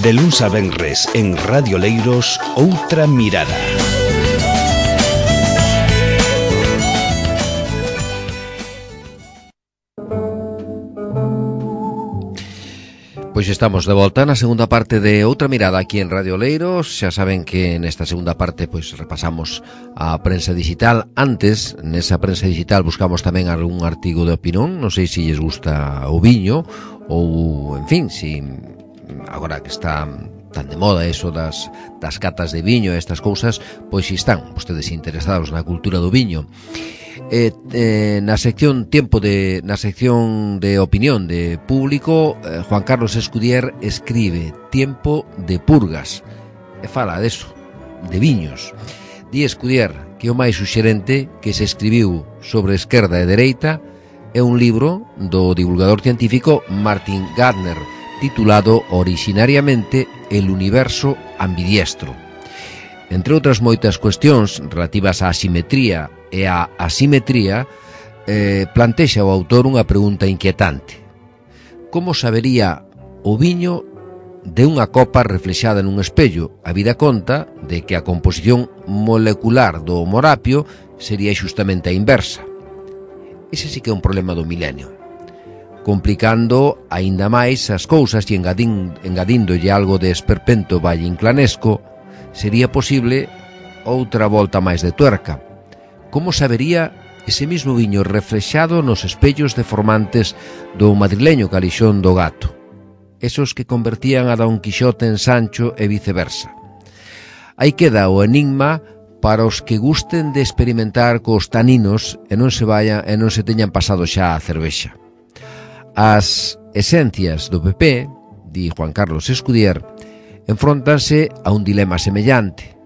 De luns a venres en Radio Leiros, Outra Mirada. Pois estamos de volta na segunda parte de Outra Mirada aquí en Radio Leiros. Xa saben que nesta segunda parte pois repasamos a prensa digital. Antes, nesa prensa digital buscamos tamén algún artigo de opinión. Non sei se lles gusta o viño ou, en fin, si agora que está tan de moda eso das catas de viño e estas cousas, pois si están vostedes interesados na cultura do viño. Na sección de opinión de público, Juan Carlos Escudier escribe Tiempo de purgas e fala deso, de viños. Di Escudier que o máis suxerente que se escribiu sobre esquerda e dereita é un libro do divulgador científico Martin Gardner titulado originariamente El universo ambidiestro. Entre outras moitas cuestións relativas á asimetría e a asimetría, plantexa o autor unha pregunta inquietante. Como sabería o viño de unha copa reflexada nun espello? Habida conta de que a composición molecular do morapio sería xustamente a inversa. Ese sí que é un problema do milenio. Complicando aínda máis as cousas e engadíndolle algo de esperpento valleinclanesco, sería posible outra volta máis de tuerca. Como sabería ese mismo viño reflexado nos espellos deformantes do madrileño Calixón do Gato, esos que convertían a Don Quixote en Sancho e viceversa? Aí queda o enigma para os que gusten de experimentar cos taninos e non se teñan pasado xa a cervexa. As esencias do PP, di Juan Carlos Escudier, enfróntanse a un dilema semellante,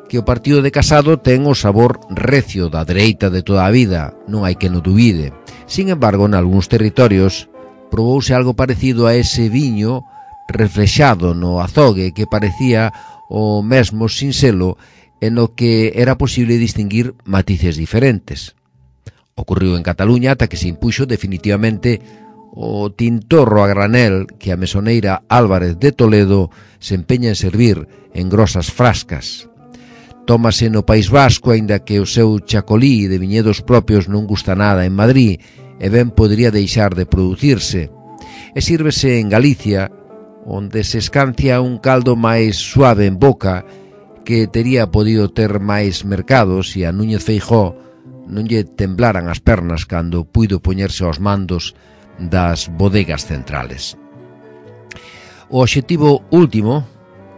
que o partido de Casado ten o sabor recio da dereita de toda a vida, non hai que no dubide. Sin embargo, en algúns territorios probouse algo parecido a ese viño reflexado no azogue que parecía o mesmo sinxelo en o que era posible distinguir matices diferentes. Ocurriu en Cataluña ata que se impuxo definitivamente o tintorro a granel que a mesoneira Álvarez de Toledo se empeña en servir en grosas frascas. Tómase no País Vasco, aínda que o seu chacolí de viñedos propios non gusta nada en Madrid e ben podría deixar de producirse. E sírvese en Galicia, onde se escancia un caldo máis suave en boca que tería podido ter máis mercado se a Núñez Feijóo non lle temblaran as pernas cando puido poñerse aos mandos das bodegas centrales. O obxectivo último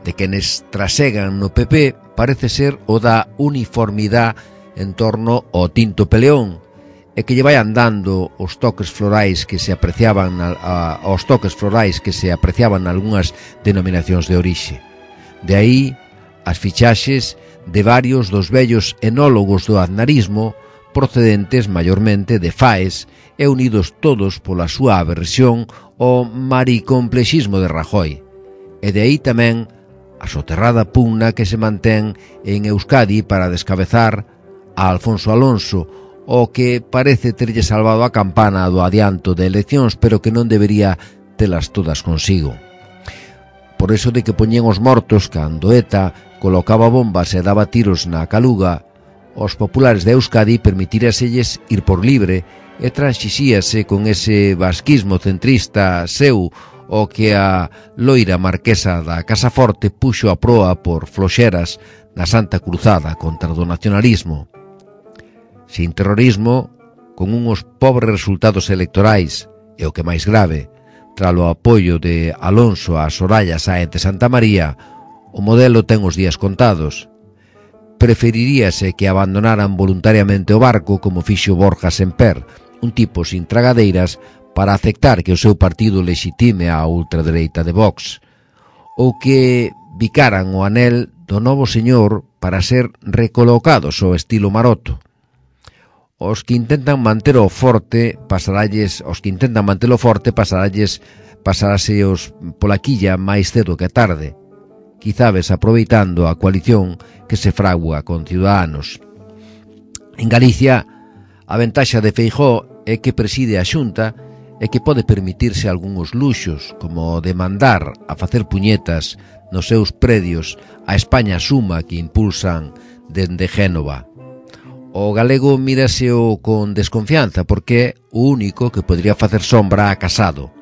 de quenes trasegan no PP parece ser o da uniformidade en torno ao tinto peleón e que lle vai andando os toques florais que se apreciaban nalgunhas denominacións de orixe. De aí as fichaxes de varios dos vellos enólogos do aznarismo procedentes maiormente de Faes e unidos todos pola súa aversión ao maricomplexismo de Rajoy. E de aí tamén a soterrada pugna que se mantén en Euskadi para descabezar a Alfonso Alonso, o que parece terlle salvado a campana do adianto de eleccións, pero que non debería telas todas consigo. Por eso de que poñían os mortos cando ETA colocaba bombas e daba tiros na Caluga, os populares de Euskadi permitiraselles ir por libre e transixíase con ese vasquismo centrista seu o que a loira marquesa da Casa Forte puxo a proa por floxeras na Santa Cruzada contra o nacionalismo. Sin terrorismo, con uns pobres resultados electorais e o que máis grave, tras o apoio de Alonso a Soraya Sáenz de Santa María, o modelo ten os días contados. Preferiríase que abandonaran voluntariamente o barco como fixo Borja Semper, un tipo sin tragadeiras, para aceptar que o seu partido lexitime a ultradereita de Vox, ou que bicaran o anel do novo señor para ser recolocados ao estilo Maroto. Os que intentan mantelo forte pasaralles pola quilla máis cedo que tarde, quizás aproveitando a coalición que se fragua con Ciudadanos. En Galicia, a ventaxa de Feijóo é que preside a Xunta e que pode permitirse algúns luxos, como de mandar a facer puñetas nos seus predios a España Suma que impulsan dende Génova. O galego míraseo con desconfianza porque é o único que podría facer sombra a Casado.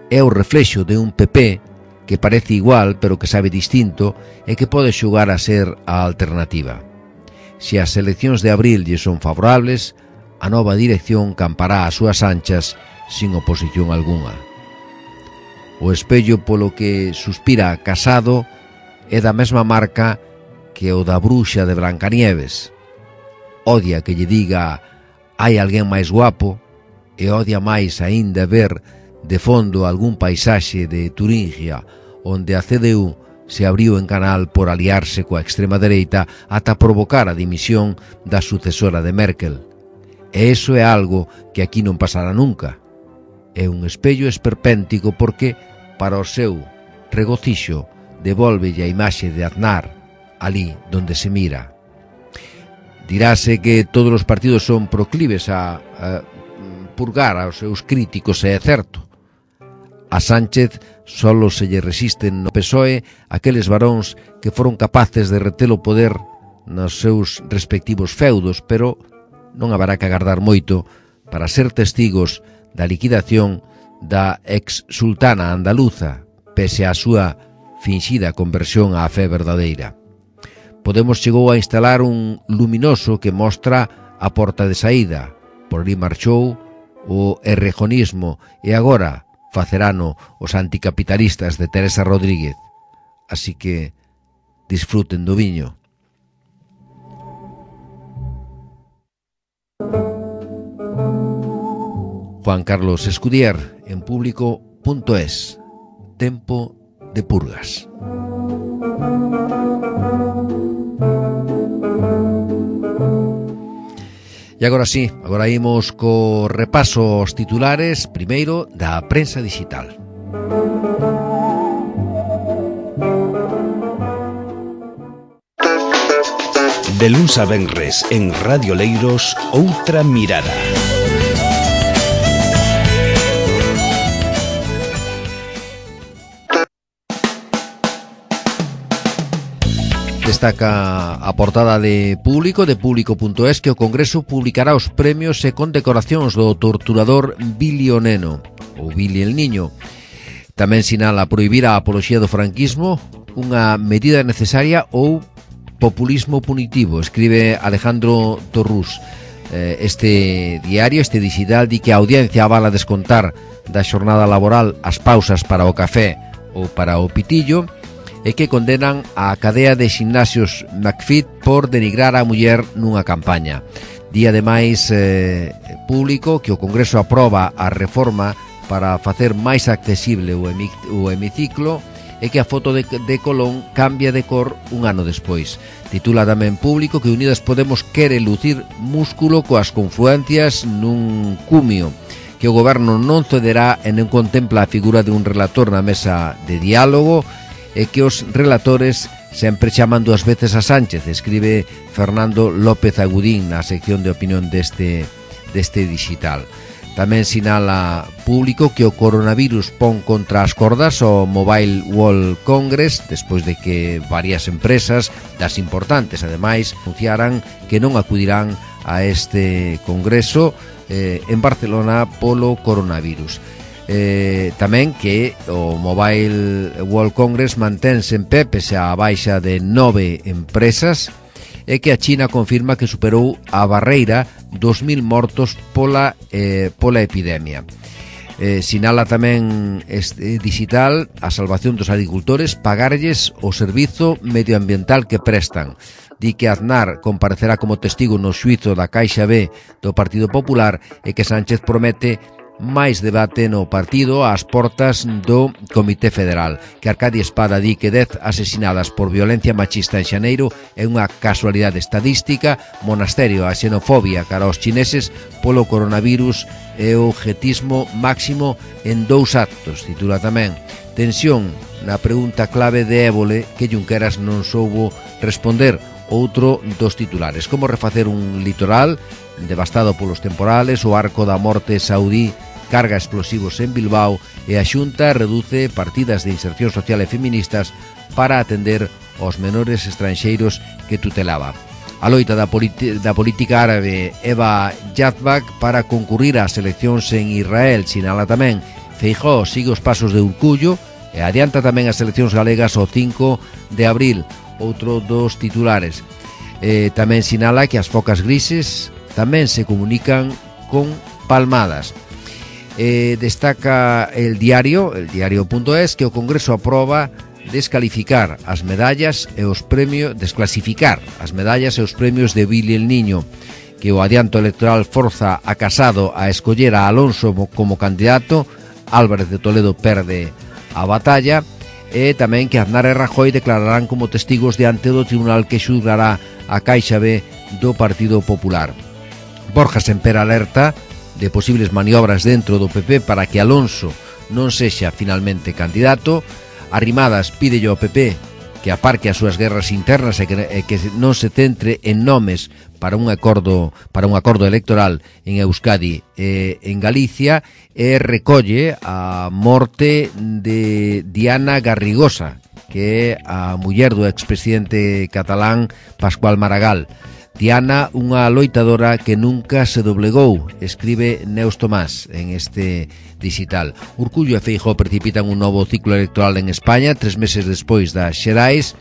É o reflexo de un PP que parece igual pero que sabe distinto e que pode xugar a ser a alternativa. Se as eleccións de abril lle son favorables, a nova dirección campará as súas anchas sin oposición algunha. O espello polo que suspira Casado é da mesma marca que o da bruxa de Brancanieves. Odia que lle diga hai alguén máis guapo e odia máis aínda ver de fondo algún paisaxe de Turingia onde a CDU se abriu en canal por aliarse coa extrema dereita ata provocar a dimisión da sucesora de Merkel. E iso é algo que aquí non pasará nunca. É un espello esperpéntico porque, para o seu regocixo, devólvelle a imaxe de Aznar ali donde se mira. Dirase que todos os partidos son proclives a purgar aos seus críticos, e é certo. A Sánchez solo se lle resisten no PSOE aqueles varóns que foron capaces de reter o poder nos seus respectivos feudos, pero non haberá que agardar moito para ser testigos da liquidación da ex-sultana andaluza, pese á súa finxida conversión á fe verdadeira. Podemos chegou a instalar un luminoso que mostra a porta de saída. Por ali marchou o errejonismo e agora facerano os anticapitalistas de Teresa Rodríguez. Así que disfruten do viño. Juan Carlos Escudier, en Público.es. Tempo de purgas. E agora sí, agora imos co repaso aos titulares, primeiro da prensa digital. De luns a venres en Radio Leiros, Outra Mirada. Destaca a portada de Público.es que o Congreso publicará os premios e condecoracións do torturador Billy o Neno, ou Billy el Niño. Tamén sinala prohibir a apoloxía do franquismo, unha medida necesaria ou populismo punitivo, escribe Alejandro Torrús. Este diario, este digital, di que a audiencia avala descontar da xornada laboral as pausas para o café ou para o pitillo, e que condenan a cadea de ximnasios McFit por denigrar a muller nunha campaña. Di ademais Público que o Congreso aproba a reforma para facer máis accesible o hemiciclo e que a foto de Colón cambia de cor un ano despois. Titula tamén Público que Unidas Podemos quere lucir músculo coas confluencias nun cumio, que o goberno non cederá e non contempla a figura de un relator na mesa de diálogo, e que os relatores sempre chaman dúas veces a Sánchez, escribe Fernando López Agudín na sección de opinión deste digital. Tamén sinala Público que o coronavirus pon contra as cordas o Mobile World Congress despois de que varias empresas das importantes ademais anunciaran que non acudirán a este congreso en Barcelona polo coronavirus. Tamén que o Mobile World Congress mantense en pé pese a baixa de 9 empresas e que a China confirma que superou a barreira dos 1000 mortos pola epidemia. Sinala tamén este digital a salvación dos agricultores, pagarlles o servizo medioambiental que prestan. Di que Aznar comparecerá como testigo no xuízo da Caixa B do Partido Popular e que Sánchez promete máis debate no partido ás portas do Comité Federal, que Arcadia Espada di que 10 asesinadas por violencia machista en xaneiro é unha casualidade estadística, monasterio a xenofobia cara aos chineses polo coronavirus e o jetismo máximo en 2 actos. Titula tamén Tensión na pregunta clave de Évole que Junqueras non soubo responder, outro dos titulares. Como refacer un litoral devastado polos temporales, o arco da morte saudí descarga explosivos en Bilbao e a Xunta reduce partidas de inserción social e feministas para atender aos menores estranxeiros que tutelaba. A loita da política árabe Eva Yazbak para concurrir ás eleccións en Israel, sinala tamén. Feijóo sigue os pasos de Urcullo e adianta tamén as eleccións galegas o 5 de abril, outro dos titulares. Tamén sinala que as focas grises tamén se comunican con palmadas. Destaca el diario.es, que o Congreso aproba descalificar as medallas e os premios, desclasificar as medallas e os premios de Billy el Niño, que o adianto electoral forza a Casado a escoller a Alonso como candidato. Álvarez de Toledo perde a batalla, e tamén que Aznar e Rajoy declararán como testigos diante do tribunal que xulgará a Caixa B do Partido Popular. Borja Semper alerta de posibles maniobras dentro do PP para que Alonso non sexa finalmente candidato. Arrimadas pídelle ao PP que aparque as súas guerras internas e que non se centre en nomes para un acordo electoral en Euskadi e en Galicia, e recolle a morte de Diana Garrigosa, que é a muller do expresidente catalán Pascual Maragall. Diana, unha loitadora que nunca se doblegou, escribe Neus Tomás en este digital. Urcullo e Feijóo precipitan un novo ciclo electoral en España 3 meses despois das xerais,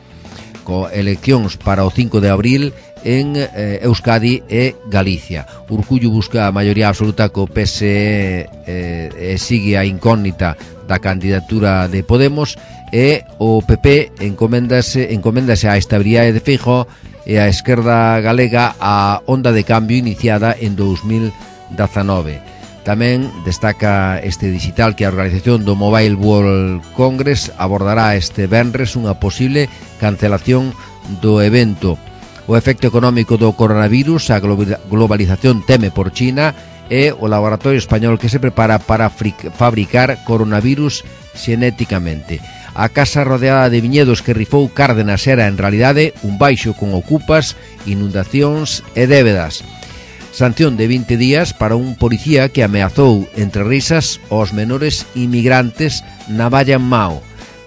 co eleccións para o 5 de abril en Euskadi e Galicia. Urcullo busca a maioría absoluta co PSE e sigue a incógnita da candidatura de Podemos, e o PP encomendase á estabilidade de Feijóo e a esquerda galega a onda de cambio iniciada en 2019. Tamén destaca este digital que a organización do Mobile World Congress abordará este venres unha posible cancelación do evento. O efecto económico do coronavirus, a globalización teme por China, e o laboratorio español que se prepara para fabricar coronavirus xenéticamente. A casa rodeada de viñedos que rifou Cárdenas era en realidade un baixo con ocupas, inundacións e débedas. Sanción de 20 días para un policía que ameazou entre risas aos menores inmigrantes na Valla en Mao.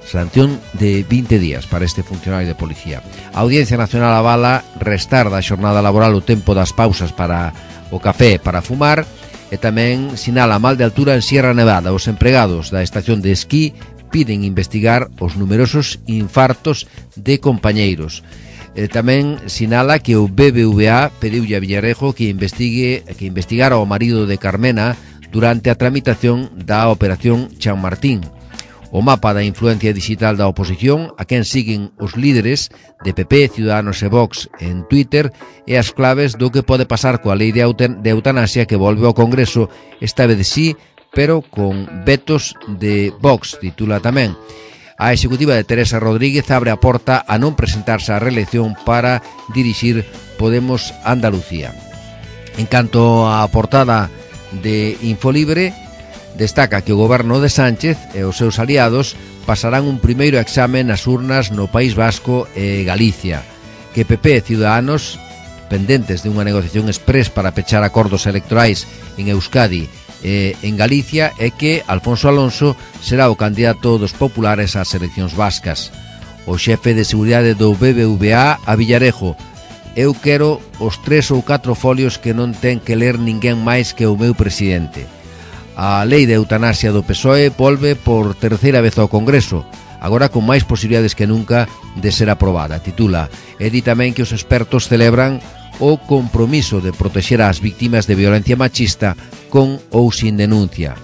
Sanción de 20 días para este funcionario de policía. A Audiencia Nacional avala restar da xornada laboral o tempo das pausas para o café para fumar, e tamén sinala mal de altura en Sierra Nevada. Os empregados da estación de esquí piden investigar os numerosos infartos de compañeiros. Tamén sinala que o BBVA pediulle a Villarejo que investigara o marido de Carmena durante a tramitación da operación Chamartín. O mapa da influencia digital da oposición, a quen siguen os líderes de PP, Ciudadanos e Vox en Twitter, e as claves do que pode pasar coa lei de eutanasia que volve ao Congreso, esta vez sí, pero con vetos de Vox, titula tamén. A executiva de Teresa Rodríguez abre a porta a non presentarse á reelección para dirixir Podemos Andalucía. En canto á portada de Infolibre, destaca que o goberno de Sánchez e os seus aliados pasarán un primeiro exame nas urnas no País Vasco e Galicia, que PP e Ciudadanos, pendentes de unha negociación exprés para pechar acordos electorais en Euskadi en Galicia, é que Alfonso Alonso será o candidato dos populares ás eleccións vascas. O xefe de seguridade do BBVA a Villarejo: eu quero os 3 ou 4 folios que non ten que ler ninguén máis que o meu presidente. A lei de eutanasia do PSOE volve por terceira vez ao Congreso, agora con máis posibilidades que nunca de ser aprobada, titula. E di tamén que os expertos celebran o compromiso de protexer ás víctimas de violencia machista con ou sin denuncia,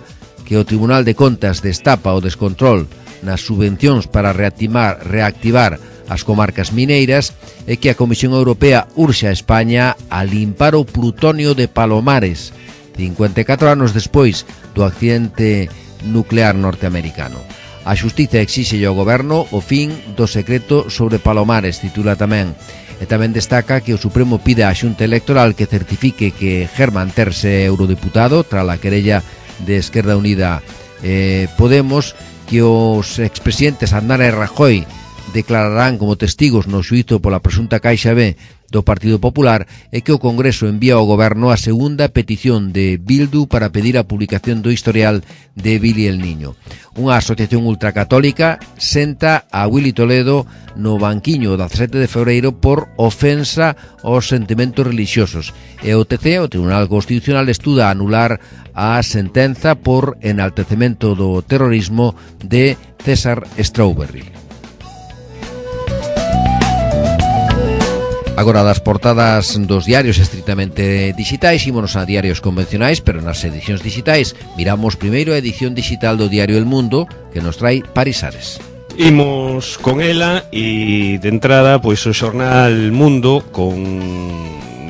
que o Tribunal de Contas destapa o descontrol nas subvencións para reactivar as comarcas mineiras, e que a Comisión Europea urxe a España a limpar o plutonio de Palomares 54 anos despois do accidente nuclear norteamericano. A xustiza exíxelle ao goberno o fin do secreto sobre Palomares, titula tamén. E tamén destaca que o Supremo pide á Xunta Electoral que certifique que Germán Terse é eurodeputado tras a querella de Esquerda Unida Podemos, que os expresidentes Aznar e Rajoy declararán como testigos no xuízo pola presunta Caixa B do Partido Popular e que o Congreso envía ao Goberno a segunda petición de Bildu para pedir a publicación do historial de Billy el Niño. Unha asociación ultracatólica senta a Willy Toledo no banquiño do 17 de febreiro por ofensa aos sentimentos religiosos e o TC, o Tribunal Constitucional, estuda anular a sentenza por enaltecemento do terrorismo de César Strawberry. Agora das portadas dos diarios estritamente digitais, ímonos a diarios convencionais, pero nas edicións digitais miramos primeiro a edición digital do diario El Mundo, que nos trae Parisares. Imos con ela e de entrada pois o xornal Mundo con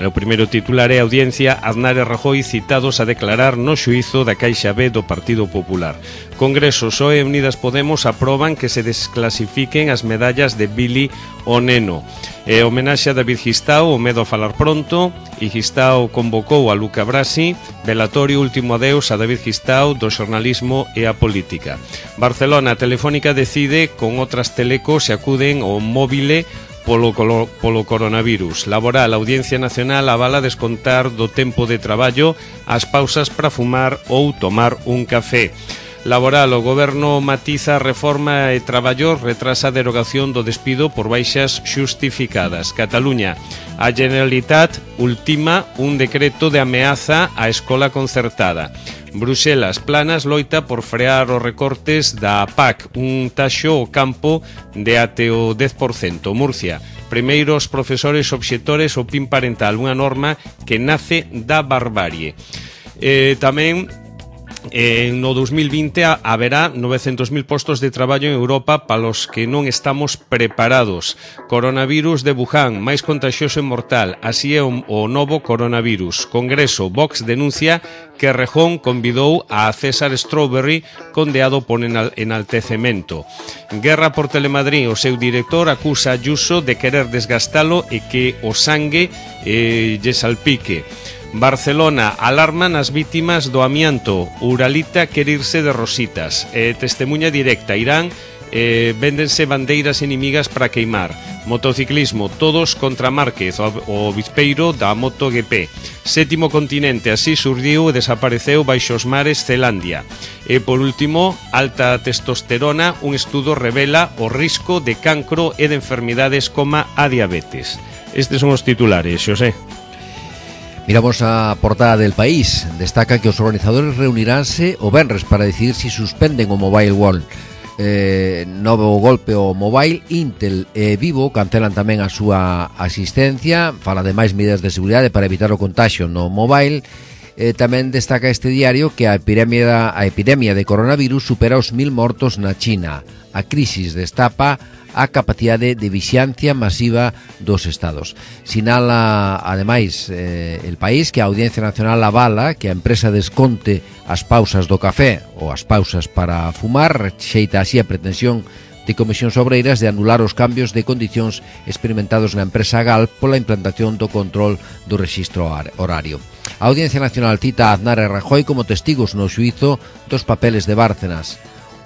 o primeiro titular é Audiencia Aznar e Rajoy citados a declarar no xuízo da Caixa B do Partido Popular. Congreso, PSOE e Unidas Podemos aproban que se desclasifiquen as medallas de Billy o Neno. Homenaxe a David Gistao, o medo a falar pronto, e Gistao convocou a Luca Brasi, velatorio último adeus a David Gistao do xornalismo e a política. Barcelona, Telefónica decide con outras telecos se acuden ao móvile polo coronavirus. Laboral, a Audiencia Nacional avala descontar do tempo de traballo as pausas para fumar ou tomar un café. Laboral, o Goberno matiza a reforma e traballo, retrasa a derogación do despido por baixas xustificadas. Cataluña, a Generalitat ultima un decreto de ameaza á escola concertada. Bruxelas, Planas loita por frear os recortes da PAC, un taxo ao campo de até o 10%. Murcia, primeiros profesores obxectores ao PIN parental, unha norma que nace da barbarie. Tamén no 2020 haberá 900.000 postos de traballo en Europa para os que non estamos preparados. Coronavirus de Wuhan, máis contagioso e mortal, así é o novo coronavirus. Congreso, Vox denuncia que Rejón convidou a César Strawberry condeado por enaltecemento. Guerra por Telemadrid, o seu director acusa a Ayuso de querer desgastalo e que o sangue lle salpique. Barcelona, alarman as vítimas do amianto. Uralita quer irse de rositas. Testemunha directa, Irán, véndense bandeiras inimigas para queimar. Motociclismo, todos contra Márquez, o bispeiro da MotoGP. Sétimo continente, así surdiu e desapareceu baixo os mares Zelandia. E por último, alta testosterona, un estudo revela o risco de cancro e de enfermidades como a diabetes. Estes son os titulares, Xosé. Miramos a portada del País. Destaca que os organizadores reuniránse o venres para decidir si suspenden o Mobile World. Novo golpe o Mobile. Intel e Vivo cancelan tamén a súa asistencia. Fala de máis medidas de seguridade para evitar o contagio no Mobile. Tamén destaca este diario que a epidemia de coronavirus supera os 1.000 mortos na China. A crisis destapa a capacidade de vixiancia masiva dos estados. Sinala, ademais, El País que a Audiencia Nacional avala que a empresa desconte as pausas do café ou as pausas para fumar, rexeita así a pretensión de Comisións Obreiras de anular os cambios de condicións experimentados na empresa GAL pola implantación do control do rexistro horario. A Audiencia Nacional cita a Aznar e Rajoy como testigos no xuízo dos papeles de Bárcenas.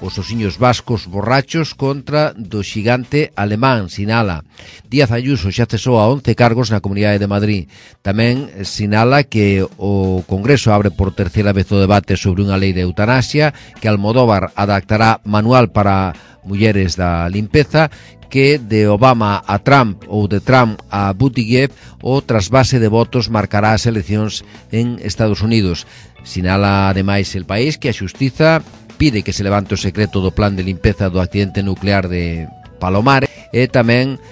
Os osiños vascos borrachos contra do xigante alemán, sinala. Díaz Ayuso xa cesou a 11 cargos na Comunidade de Madrid. Tamén sinala que o Congreso abre por terceira vez o debate sobre unha lei de eutanasia, que Almodóvar adaptará manual para mulleres da limpeza, que de Obama a Trump ou de Trump a Buttigieg o trasvase de votos marcará as eleccións en Estados Unidos. Sinala ademais El País que a Xustiza pide que se levante o secreto do plan de limpeza do accidente nuclear de Palomares e tamén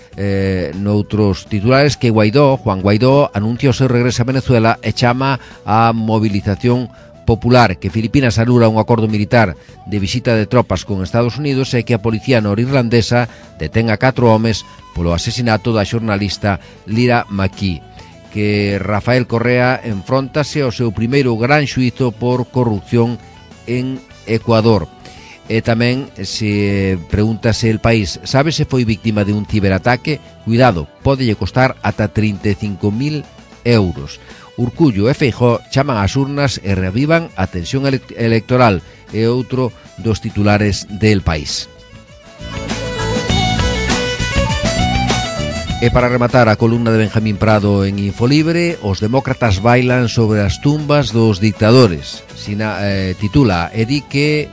noutros titulares que Juan Guaidó anuncia o seu regreso a Venezuela e chama a movilización popular, que Filipinas anula un acordo militar de visita de tropas con Estados Unidos e que a policía norirlandesa detén a 4 homes polo asesinato da xornalista Lira McKee. Que Rafael Correa enfróntase ao seu primeiro gran xuízo por corrupción en Ecuador. E tamén se pregúntase El País, sabe se foi víctima de un ciberataque? Cuidado, pódelle costar ata 35.000 euros. Urcullo e Feijóo chaman ás urnas e reavivan a tensión electoral, é outro dos titulares del País. E para rematar a columna de Benjamín Prado en Infolibre, os demócratas bailan sobre as tumbas dos dictadores. Titula e di que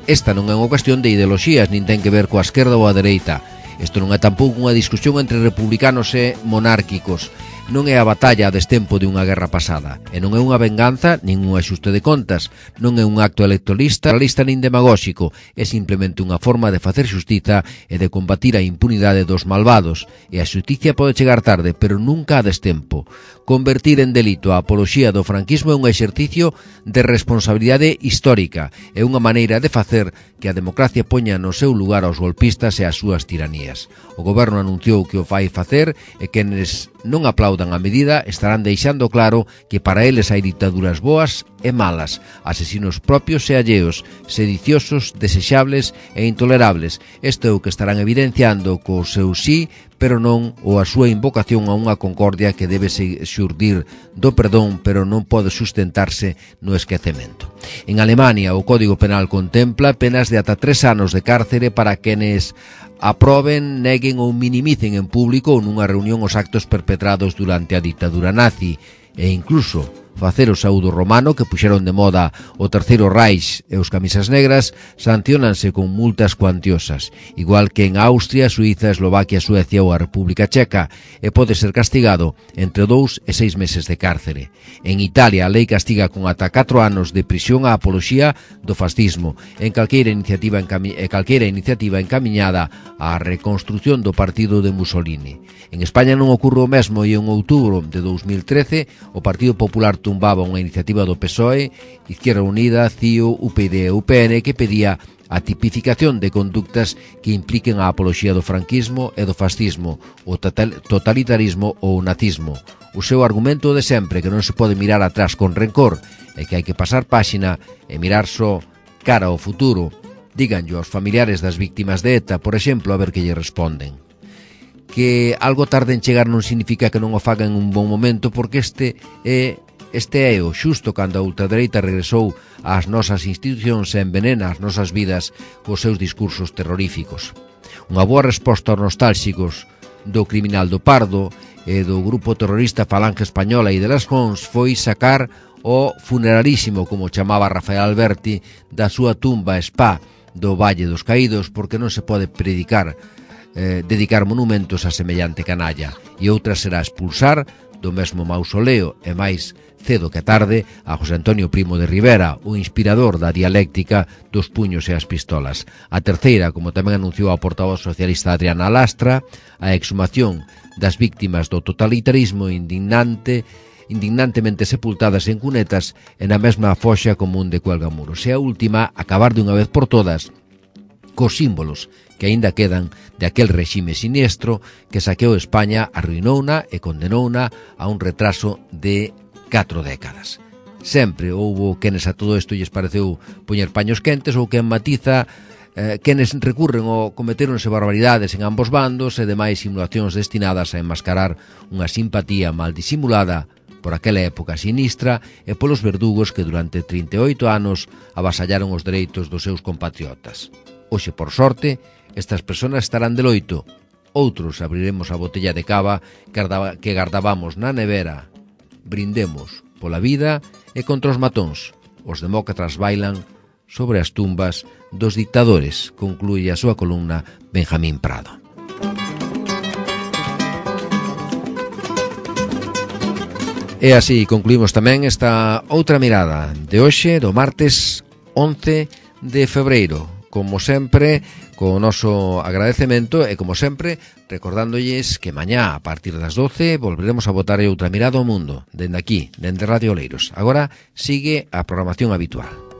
esta non é unha cuestión de ideoloxías, nin ten que ver coa esquerda ou a dereita. Isto non é tampouco unha discusión entre republicanos e monárquicos. Non é a batalla a destempo de unha guerra pasada. E non é unha venganza, nin un axuste de contas. Non é un acto electoralista nin demagóxico. É simplemente unha forma de facer xustiza e de combatir a impunidade dos malvados. E a xusticia pode chegar tarde, pero nunca a destempo. Convertir en delito a apoloxía do franquismo é un exercicio de responsabilidade histórica. É unha maneira de facer que a democracia poña no seu lugar aos golpistas e as súas tiranías. O goberno anunciou que o fai facer e quenes non aplaudan a medida estarán deixando claro que para eles hai dictaduras boas e malas, asesinos propios e alleos, sediciosos, desexables e intolerables. Isto é o que estarán evidenciando co seu sí, pero non, ou a súa invocación a unha concordia que debe xurdir do perdón, pero non pode sustentarse no esquecemento. En Alemania, o Código Penal contempla penas de ata 3 anos de cárcere para quenes aproben, neguen ou minimicen en público ou nunha reunión os actos perpetrados durante a dictadura nazi e incluso facer o saúdo romano que puxeron de moda o Terceiro Reich e os camisas negras sancionanse con multas cuantiosas, igual que en Austria, Suiza, Eslovaquia, Suecia ou a República Checa, e pode ser castigado entre 2 e 6 meses de cárcere. En Italia, a lei castiga con ata 4 anos de prisión a apoloxía do fascismo en calqueira iniciativa encamiñada á reconstrución do partido de Mussolini. En España non ocorre o mesmo e en outubro de 2013 o Partido Popular tumbaba unha iniciativa do PSOE, Izquierda Unida, CIO, UPyD e UPN que pedía a tipificación de conductas que impliquen a apoloxía do franquismo e do fascismo, o totalitarismo ou o nazismo. O seu argumento de sempre, que non se pode mirar atrás con rencor e que hai que pasar páxina e mirar só cara ao futuro. Díganllo aos familiares das víctimas de ETA, por exemplo, a ver que lle responden. Que algo tarde en chegar non significa que non o fagan en un bon momento, porque este é o xusto cando a ultradereita regresou ás nosas institucións e envenena as nosas vidas cos seus discursos terroríficos. Unha boa resposta aos nostálxicos do criminal do Pardo e do grupo terrorista Falange Española e de las Cons foi sacar o funerarísimo, como chamaba Rafael Alberti, da súa tumba spa do Valle dos Caídos, porque non se pode dedicar monumentos a semellante canalla, e outra será expulsar do mesmo mausoleo e máis cedo que tarde a José Antonio Primo de Rivera, o inspirador da dialéctica dos puños e as pistolas. A terceira, como tamén anunciou a portavoz socialista Adriana Lastra, a exhumación das víctimas do totalitarismo indignantemente sepultadas en cunetas e na mesma foxa común de Cuelgamuros. E a última, acabar de unha vez por todas cos símbolos que aínda quedan de aquel réxime siniestro que saqueou España, arruinouna e condenouna a un retraso de 4 décadas. Sempre houbo quenes a todo isto lles pareceu poñer paños quentes ou quen matiza quenes recurren ou cometeronse barbaridades en ambos bandos e demais simulacións destinadas a enmascarar unha simpatía mal disimulada por aquela época sinistra e polos verdugos que durante 38 anos avasallaron os dereitos dos seus compatriotas. Hoxe, por sorte, estas persoas estarán de loito. Outros abriremos a botella de cava que guardábamos na nevera. Brindemos pola vida e contra os matóns. Os demócratas bailan sobre as tumbas dos dictadores, conclúe a súa columna Benjamín Prado. E así concluímos tamén esta outra mirada de hoxe, do martes 11 de febreiro. Como sempre, co noso agradecemento e, como sempre, recordándolles que mañá, a partir das 12, volveremos a botar outra mirada ao mundo, dende aquí, dende Radio Oleiros. Agora sigue a programación habitual.